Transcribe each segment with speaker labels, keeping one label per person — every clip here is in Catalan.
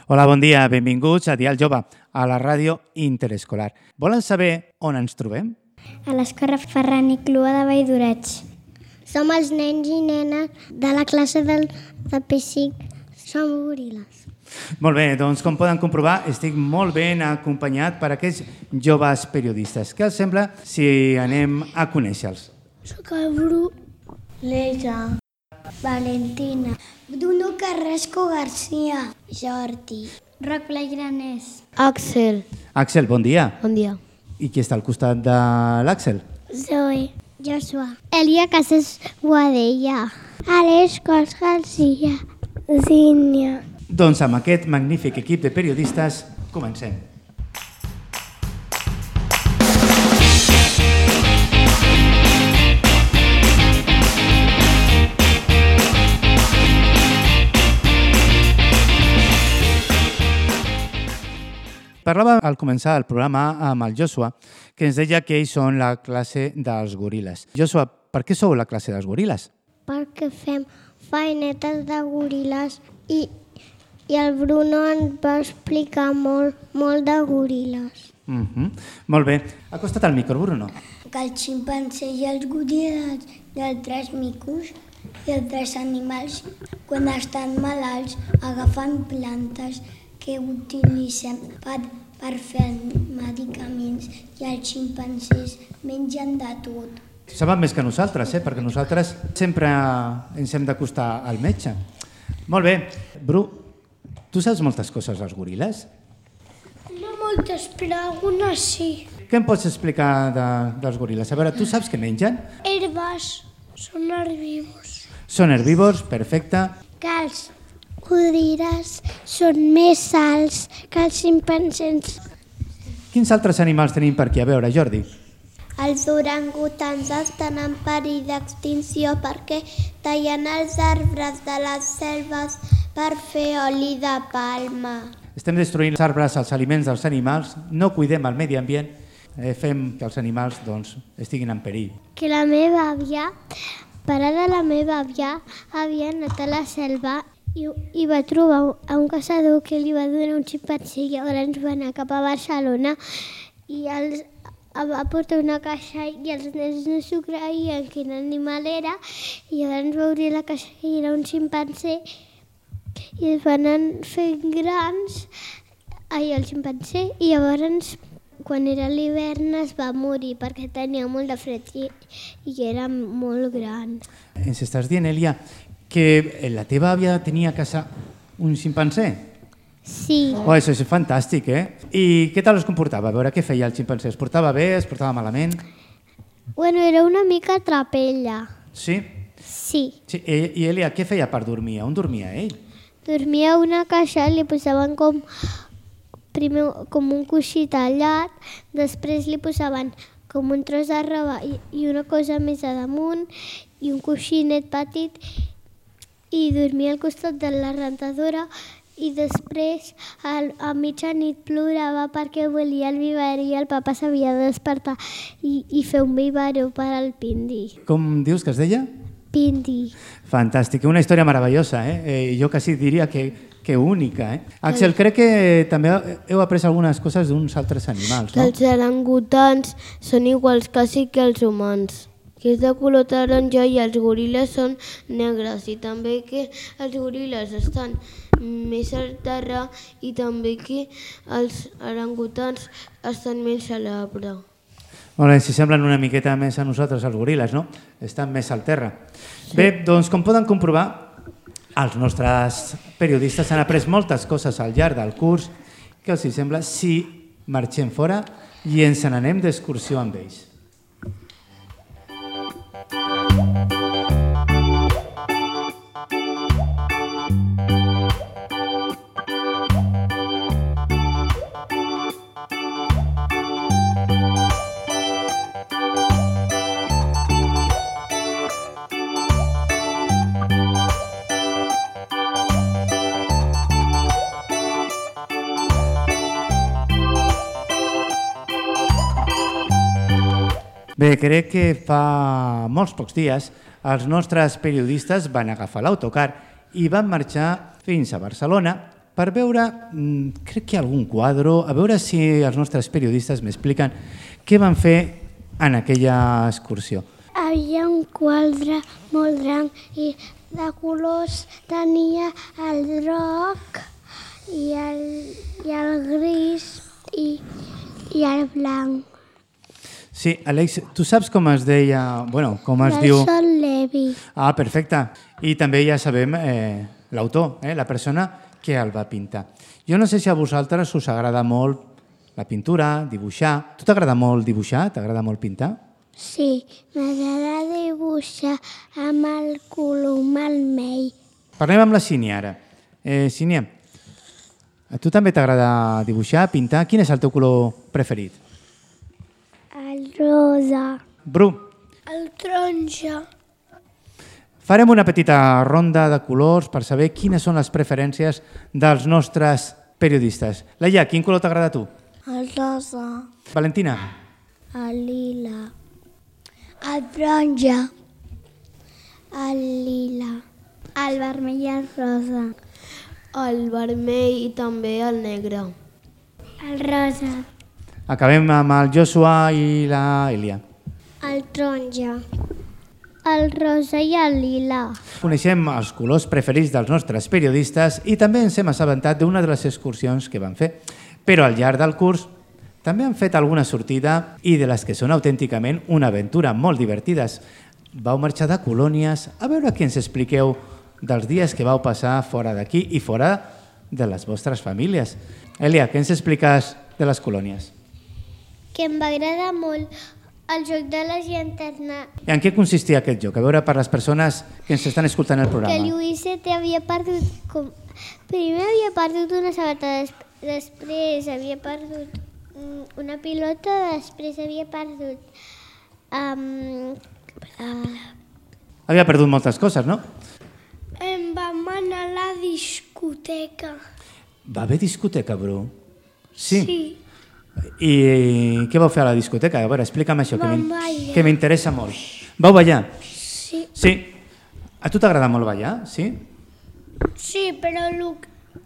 Speaker 1: Hola, bon dia, benvinguts a Dial Jove, a la ràdio interescolar. Volen saber on ens trobem?
Speaker 2: A l'Escola Ferran i Clua de Valldoreig. Som els nens i nenes de la classe de P5. Som goril·les.
Speaker 1: Molt bé, doncs com poden comprovar, estic molt ben acompanyat per aquests joves periodistes. Què els sembla si anem a conèixer-los?
Speaker 2: Soc el Bru, l'Elsa, Valentina, Bruno Carrasco García, Jordi, Roc Plaigranés, Axel.
Speaker 1: Axel, bon dia.
Speaker 2: Bon dia.
Speaker 1: I qui està al costat de l'Àxel?
Speaker 2: Zoe, Joshua, Elia Casas Guadella, Aleix Cos García, Zínia.
Speaker 1: Doncs amb aquest magnífic equip de periodistes comencem. Parlava al començar el programa amb el Joshua, que ens deia que ells són la classe dels goril·les. Joshua, per què sou la classe dels goril·les?
Speaker 2: Perquè fem feinetes de goril·les i el Bruno ens va explicar molt de goril·les.
Speaker 1: Molt bé. Acosta't al micro, Bruno.
Speaker 2: Que el ximpanzé i els goril·les i els tres micos i els tres animals, quan estan malalts, agafen plantes que utilitzem per fer medicaments i els ximpanzés mengen de tot.
Speaker 1: Saben més que nosaltres, perquè nosaltres sempre ens hem d'acostar al metge. Molt bé. Bru, tu saps moltes coses dels goril·les?
Speaker 2: No moltes, però algunes sí.
Speaker 1: Què em pots explicar dels goril·les? A veure, tu saps què mengen?
Speaker 2: Herbes, són herbívors.
Speaker 1: Són herbívors, perfecte.
Speaker 2: Que els goril·les són més alts que els ximpanzés.
Speaker 1: Quins altres animals tenim per aquí? A veure, Jordi.
Speaker 2: Els orangutans estan en perill d'extinció perquè tallen els arbres de les selves per fer oli de palma.
Speaker 1: Estem destruint els arbres, els aliments dels animals, no cuidem el medi ambient, fem que els animals estiguin en perill.
Speaker 2: Que la meva àvia, pare de la meva àvia, havia anat a la selva i va trobar un caçador que li va donar un ximpanzé i llavors va anar cap a Barcelona i va portar una caixa i els nens no s'ho creien quin animal era i llavors va obrir la caixa i era un ximpanzé i es van anar fent grans el ximpanzé i llavors quan era l'hivern es va morir perquè tenia molt de fred i era molt gran.
Speaker 1: Ens estàs dient, Elia, que la teva àvia tenia a casa un ximpanzé?
Speaker 2: Sí.
Speaker 1: Oh, això és fantàstic, I què tal es comportava? A veure, què feia el ximpanzé? Es portava bé? Es portava malament?
Speaker 2: Bueno, era una mica trapella.
Speaker 1: Sí?
Speaker 2: Sí.
Speaker 1: I Elia, què feia per dormir? On dormia ell?
Speaker 2: Dormia a una caixa, li posaven primer com un coixí tallat, després li posaven com un tros de roba i una cosa més a damunt i un coixinet petit i dormia al costat de la rentadora i després a mitjanit plorava perquè volia el biberó i el papa s'havia de despertar i fer un biberó per al Pindi.
Speaker 1: Com dius que es deia?
Speaker 2: Pindi.
Speaker 1: Fantàstic, una història meravellosa, Jo quasi diria que única, Axel, crec que també heu après algunes coses d'uns altres animals, no?
Speaker 3: Els orangutans són iguals quasi que els humans, que és de color taronja i els goril·les són negres i també que els goril·les estan més al terra i també que els orangutans estan més a l'arbre.
Speaker 1: Molt bé, si semblen una miqueta més a nosaltres, els goril·les, no? Estan més al terra. Bé, doncs com poden comprovar, els nostres periodistes han après moltes coses al llarg del curs. Què els sembla si marxem fora i ens n'anem d'excursió amb ells? Bé, crec que fa molts pocs dies els nostres periodistes van agafar l'autocar i van marxar fins a Barcelona per veure, crec que hi ha algun quadre, a veure si els nostres periodistes m'expliquen què van fer en aquella excursió.
Speaker 2: Havia un quadre molt gran i de colors tenia el groc i el gris i el blanc.
Speaker 1: Sí, Àlex, tu saps com es deia, bueno, com es diu...
Speaker 2: Del Sol Levi.
Speaker 1: Ah, perfecte. I també ja sabem l'autor, la persona que el va pintar. Jo no sé si a vosaltres us agrada molt la pintura, dibuixar. Tu t'agrada molt dibuixar? T'agrada molt pintar?
Speaker 2: Sí, m'agrada dibuixar amb el colom vermell.
Speaker 1: Parlem amb la Sínia ara. Sínia, a tu també t'agrada dibuixar, pintar? Quin és el teu color preferit?
Speaker 2: El rosa.
Speaker 1: Bru,
Speaker 2: El taronja.
Speaker 1: farem una petita ronda de colors per saber quines són les preferències dels nostres periodistes. Laia, quin color t'agrada a tu?
Speaker 2: El rosa.
Speaker 1: Valentina?
Speaker 2: El lila. El taronja. El lila. El vermell i el rosa.
Speaker 3: El vermell i també el negre.
Speaker 2: El rosa.
Speaker 1: Acabem amb el Joshua i la Elia.
Speaker 2: El taronja. El rosa i el lila.
Speaker 1: Coneixem els colors preferits dels nostres periodistes i també ens hem assabentat d'una de les excursions que van fer. Però al llarg del curs també han fet alguna sortida i de les que són autènticament una aventura molt divertides. Vau marxar de colònies, a veure què ens expliqueu dels dies que vau passar fora d'aquí i fora de les vostres famílies. Elia, què ens expliques de les colònies?
Speaker 2: Que em va agradar molt el joc de la llanterna.
Speaker 1: I en què consistia aquest joc? A veure, per les persones que ens estan escoltant el
Speaker 2: Que
Speaker 1: programa.
Speaker 2: Lluïset havia perdut... Primer havia perdut una sabata, després havia perdut una pilota, després havia perdut...
Speaker 1: Havia perdut moltes coses, no?
Speaker 2: Em vam anar a la discoteca.
Speaker 1: Va haver discoteca, Bru? Sí.
Speaker 2: Sí.
Speaker 1: I què vau fer a la discoteca? A veure, explica'm això,
Speaker 2: Vam ballar.
Speaker 1: que m'interessa molt. Vau ballar?
Speaker 2: Sí.
Speaker 1: Sí. A tu t'agrada molt ballar, sí?
Speaker 2: Sí, però el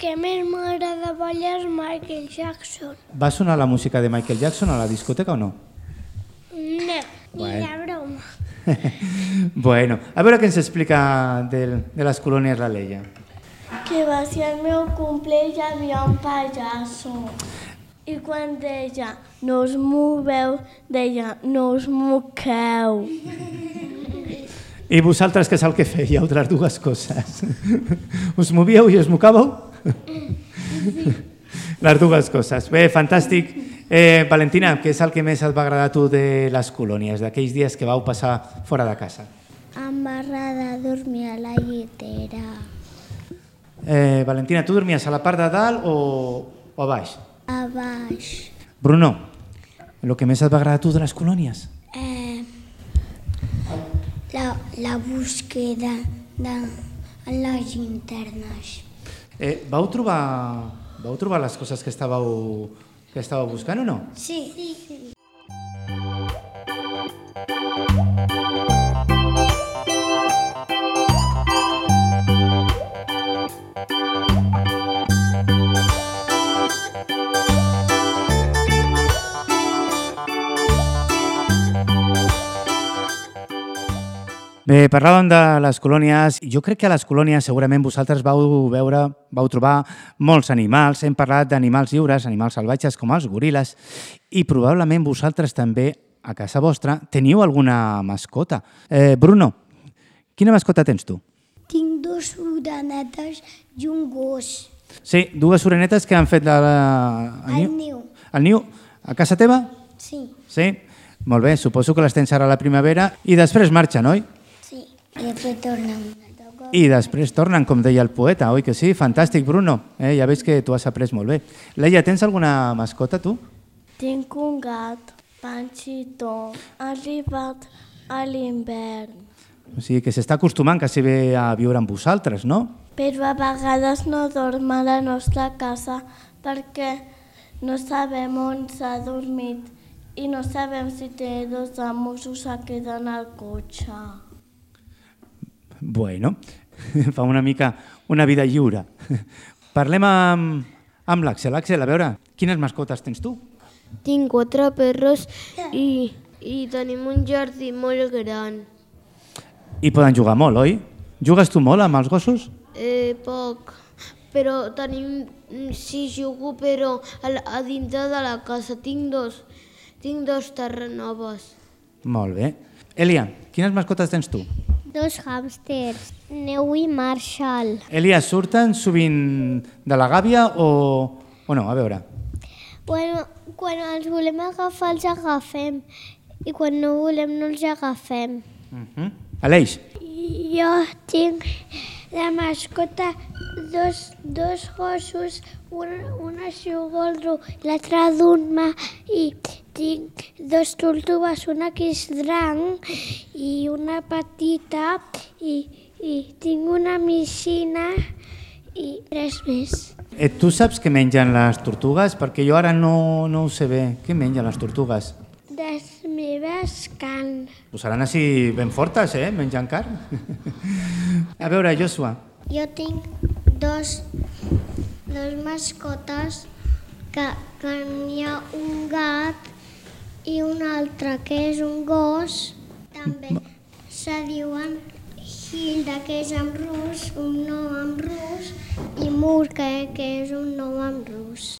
Speaker 2: que més m'agrada ballar és Michael Jackson.
Speaker 1: Va sonar la música de Michael Jackson a la discoteca o no?
Speaker 2: No, ni
Speaker 1: Bueno.
Speaker 2: de broma.
Speaker 1: Bueno, a veure què ens explica de les colònies la Leia.
Speaker 4: Que va ser el meu cumple i hi havia un pallasso. I quan deia, no us moveu, deia, no us moqueu.
Speaker 1: I vosaltres què és el que fèieu de les dues coses? Us movíeu i us mocàveu? Les dues coses. Bé, fantàstic. Valentina, què és el que més et va agradar a tu de les colònies, d'aquells dies que vau passar fora de casa?
Speaker 2: Em va agradar dormir a la llitera.
Speaker 1: Valentina, tu dormies a la part de dalt o a baix?
Speaker 2: A baix.
Speaker 1: Bruno, el que més et va agradar a tu de les colònies?
Speaker 2: La búsqueda de les llanternes.
Speaker 1: Vau trobar les coses que estàveu buscant o no?
Speaker 2: Sí.
Speaker 1: Bé, parlàvem de les colònies. Jo crec que a les colònies segurament vosaltres vau trobar molts animals. Hem parlat d'animals lliures, animals salvatges com els goril·les, i probablement vosaltres també, a casa vostra, teniu alguna mascota. Bruno, quina mascota tens tu?
Speaker 2: Tinc dos orenetes i un gos.
Speaker 1: Sí, dues orenetes que han fet
Speaker 2: El niu.
Speaker 1: El niu? A casa teva?
Speaker 2: Sí.
Speaker 1: Sí? Molt bé, suposo que les tens ara a la primavera i després marxen, oi?
Speaker 2: Sí. I després tornen.
Speaker 1: I després tornen, com deia el poeta, oi que sí? Fantàstic, Bruno. Ja veig que tu has après molt bé. Leia, tens alguna mascota, tu?
Speaker 4: Tinc un gat, Panxito, ha arribat a l'hivern.
Speaker 1: O sigui, que s'està acostumant quasi bé a viure amb vosaltres, no?
Speaker 4: Però a vegades no dorm a la nostra casa perquè no sabem on s'ha dormit i no sabem si té dos amos o s'ha quedat al cotxe.
Speaker 1: Bueno, fa una mica una vida lliure. Parlem amb l'Àxel. Àxel, a veure, quines mascotes tens tu?
Speaker 3: Tinc 4 perros i tenim un jardí molt gran.
Speaker 1: I poden jugar molt, oi? Jugues tu molt amb els gossos?
Speaker 3: Poc, però tenim... Sí, jugo, però a dintre de la casa tinc dos terrenoves.
Speaker 1: Molt bé. Elia, quines mascotes tens tu?
Speaker 2: 2 hàmsters, Neu i Marshall.
Speaker 1: Elia, surten sovint de la gàbia o no? A veure.
Speaker 2: Bueno, quan els volem agafar, els agafem. I quan no volem, no els agafem.
Speaker 1: Aleix.
Speaker 2: Jo tinc de mascota dos gossos, un es diu Goldro, l'altre Dunma, i tinc 2 tortugues, una que és gran i una petita, i tinc una micina i 3 més.
Speaker 1: Tu saps què mengen les tortugues? Perquè jo ara no ho sé bé. Què mengen les tortugues?
Speaker 2: Les meves carn.
Speaker 1: Pues seran així ben fortes, menjant carn. A veure, Joshua.
Speaker 2: Jo tinc dos mascotes que n'hi ha un gat i un altre que és un gos. També se diuen Hilda, que és en rus, un nom en rus, i Murka, que és un nom en rus.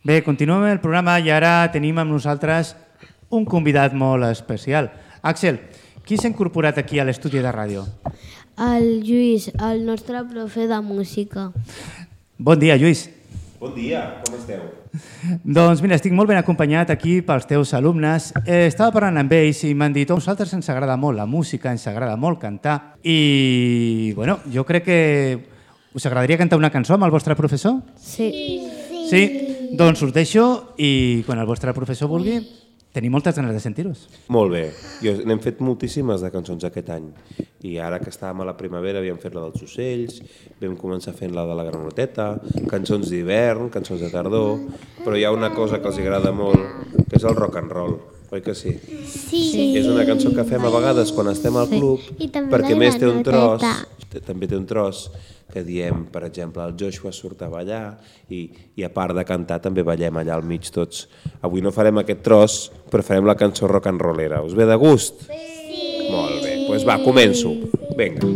Speaker 1: Bé, continuem el programa i ara tenim amb nosaltres un convidat molt especial. Àxel, qui s'ha incorporat aquí a l'estudi de ràdio?
Speaker 3: El Lluís, el nostre profe de música.
Speaker 1: Bon dia, Lluís.
Speaker 5: Bon dia, com esteu?
Speaker 1: Doncs mira, estic molt ben acompanyat aquí pels teus alumnes. Estava parlant amb ells i m'han dit a nosaltres ens agrada molt la música, ens agrada molt cantar i, bueno, jo crec que us agradaria cantar una cançó amb el vostre professor?
Speaker 3: Sí.
Speaker 1: Sí? Doncs us deixo i quan el vostre professor vulgui, tenim moltes ganes de sentir-vos.
Speaker 5: Molt bé, n'hem fet moltíssimes de cançons aquest any i ara que estàvem a la primavera havíem fet la dels ocells, vam començar fent la de la granoteta, cançons d'hivern, cançons de tardor, però hi ha una cosa que els agrada molt, que és el rock and roll, oi que sí?
Speaker 2: Sí.
Speaker 5: És una cançó que fem a vegades quan estem al club, perquè més té un tros, també té un tros que diem, per exemple, el Joshua surt a ballar i a part de cantar també ballem allà al mig tots. Avui no farem aquest tros, però farem la cançó rock and rollera. Us ve de gust? Sí! Molt bé, doncs va, començo. Vinga.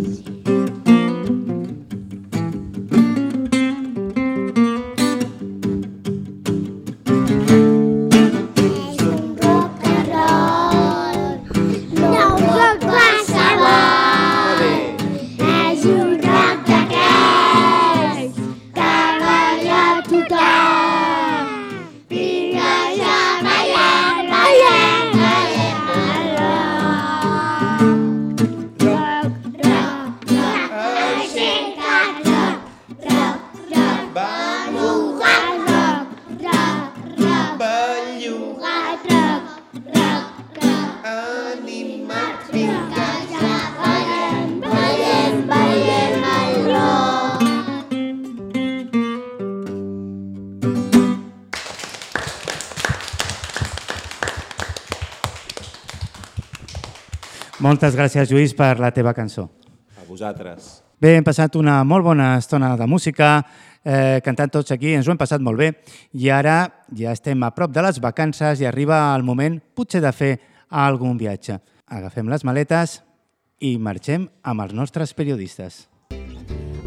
Speaker 1: Moltes gràcies, Lluís, per la teva cançó.
Speaker 5: A vosaltres.
Speaker 1: Bé, hem passat una molt bona estona de música, cantant tots aquí, ens ho hem passat molt bé i ara ja estem a prop de les vacances i arriba el moment potser de fer algun viatge. Agafem les maletes i marxem amb els nostres periodistes.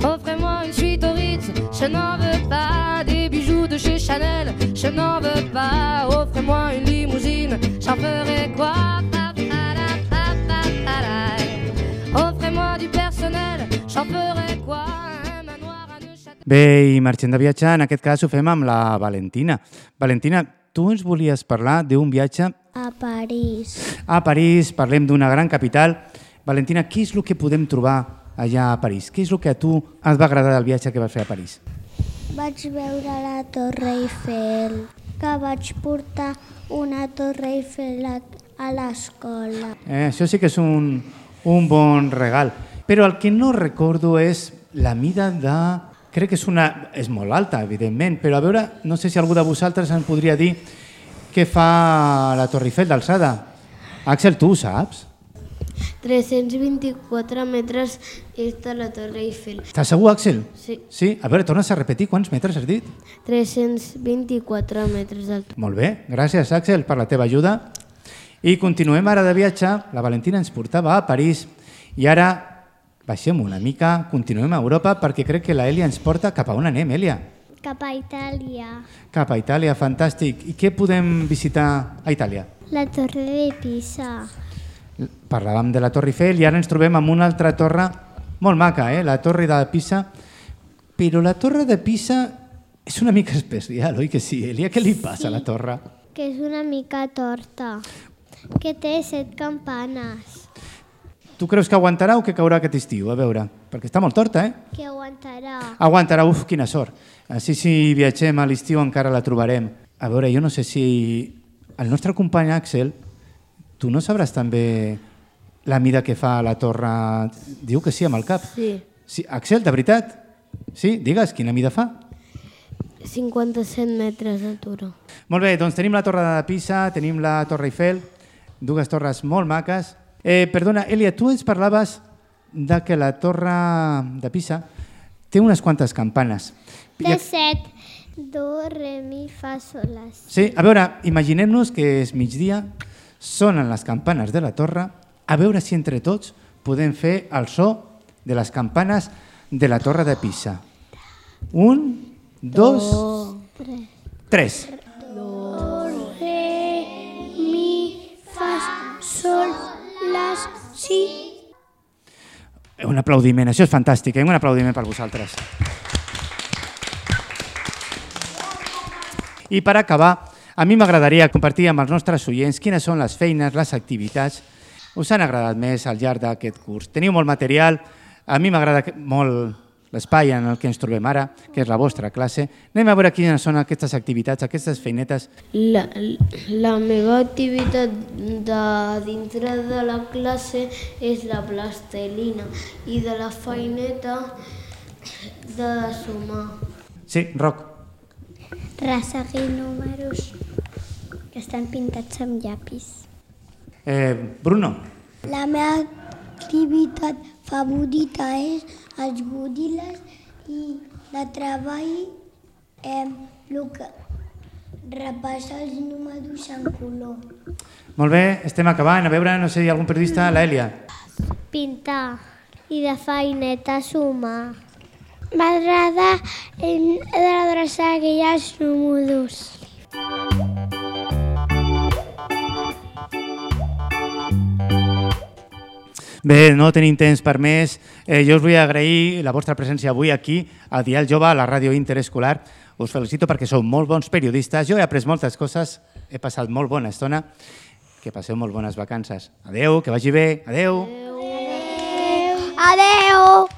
Speaker 6: Offrez-moi une suite au Ritz, je n'en veux pas. Des bijoux de chez Chanel, je n'en veux pas. Offrez-moi une limousine, j'en ferai quoi? Offrez-moi du personnel, j'en ferai quoi? Un manoir à Neuchâtel.
Speaker 1: Bé, i marxem de viatge, en aquest cas ho fem amb la Valentina. Valentina, tu ens volies parlar d'un viatge
Speaker 2: A París.
Speaker 1: a París, parlem d'una gran capital. Valentina, què és el que podem trobar allà a París? Què és el que a tu et va agradar del viatge que vas fer a París?
Speaker 2: Vaig veure la Torre Eiffel, que vaig portar una Torre Eiffel a l'escola.
Speaker 1: Això sí que és un bon regal. Però el que no recordo és la mida de... Crec que és molt alta, evidentment, però a veure, no sé si algú de vosaltres em podria dir què fa la Torre Eiffel d'alçada. Àxel, tu ho saps?
Speaker 3: 324 metres és de la Torre Eiffel.
Speaker 1: Estàs segur, Àxel?
Speaker 3: Sí.
Speaker 1: Sí? A veure, tornes a repetir quants metres has dit?
Speaker 3: 324 metres d'altura.
Speaker 1: Molt bé, gràcies, Àxel, per la teva ajuda. I continuem ara de viatge. La Valentina ens portava a París i ara baixem una mica, continuem a Europa perquè crec que la Èlia ens porta cap a on anem, Èlia?
Speaker 2: Cap a Itàlia.
Speaker 1: Cap a Itàlia, fantàstic. I què podem visitar a Itàlia?
Speaker 2: La Torre de Pisa.
Speaker 1: Parlàvem de la Torre Eiffel i ara ens trobem amb una altra torre molt maca, la Torre de Pisa. Però la Torre de Pisa és una mica especial, oi que sí, Èlia? Què li passa a la torre?
Speaker 2: Que és una mica torta, que té 7 campanes.
Speaker 1: Tu creus que aguantarà o que caurà aquest estiu? A veure, perquè està molt torta,
Speaker 2: Que aguantarà.
Speaker 1: Aguantarà, quina sort. Així si viatgem a l'estiu encara la trobarem. A veure, jo no sé si el nostre company Àxel, tu no sabràs també la mida que fa la torre? Diu que sí amb el cap.
Speaker 3: Sí.
Speaker 1: Àxel, de veritat? Sí? Digues, quina mida fa?
Speaker 3: 57 metres d'altura.
Speaker 1: Molt bé, doncs tenim la Torre de Pisa, tenim la Torre Eiffel, dues torres molt maques. Perdona, Èlia, tu ens parlaves de que la Torre de Pisa té unes quantes campanes.
Speaker 2: Té 7. Do, re, mi, fa, sol, la, si.
Speaker 1: Sí, a veure, imaginem-nos que és migdia, sonen les campanes de la torre, a veure si entre tots podem fer el so de les campanes de la Torre de Pisa. 1, 2, 3.
Speaker 2: Do, re, mi, fa, sol, la, si.
Speaker 1: Un aplaudiment, això és fantàstic, un aplaudiment per vosaltres. I per acabar, a mi m'agradaria compartir amb els nostres oients quines són les feines, les activitats us han agradat més al llarg d'aquest curs. Teniu molt material, a mi m'agrada molt l'espai en el que ens trobem ara, que és la vostra classe. Anem a veure quines són aquestes activitats, aquestes feinetes.
Speaker 3: La meva activitat de dintre de la classe és la plastelina i de la feineta de sumar.
Speaker 1: Sí, Roc.
Speaker 2: Resseguir números que estan pintats amb llapis.
Speaker 1: Bruno.
Speaker 2: La meva activitat favorita és els goril·les i de treball el que repassa els números en color.
Speaker 1: Molt bé, estem acabant. A veure, no sé, hi ha algun periodista? L'Èlia.
Speaker 2: Pintar i de feineta sumar. M'agrada adreçar aquells números.
Speaker 1: Bé, no tenim temps per més. Jo us vull agrair la vostra presència avui aquí, a Dial Jove, a la ràdio interescolar. Us felicito perquè sou molt bons periodistes. Jo he après moltes coses, he passat molt bona estona. Que passeu molt bones vacances. Adeu, que vagi bé. Adeu.
Speaker 2: Adeu. Adeu.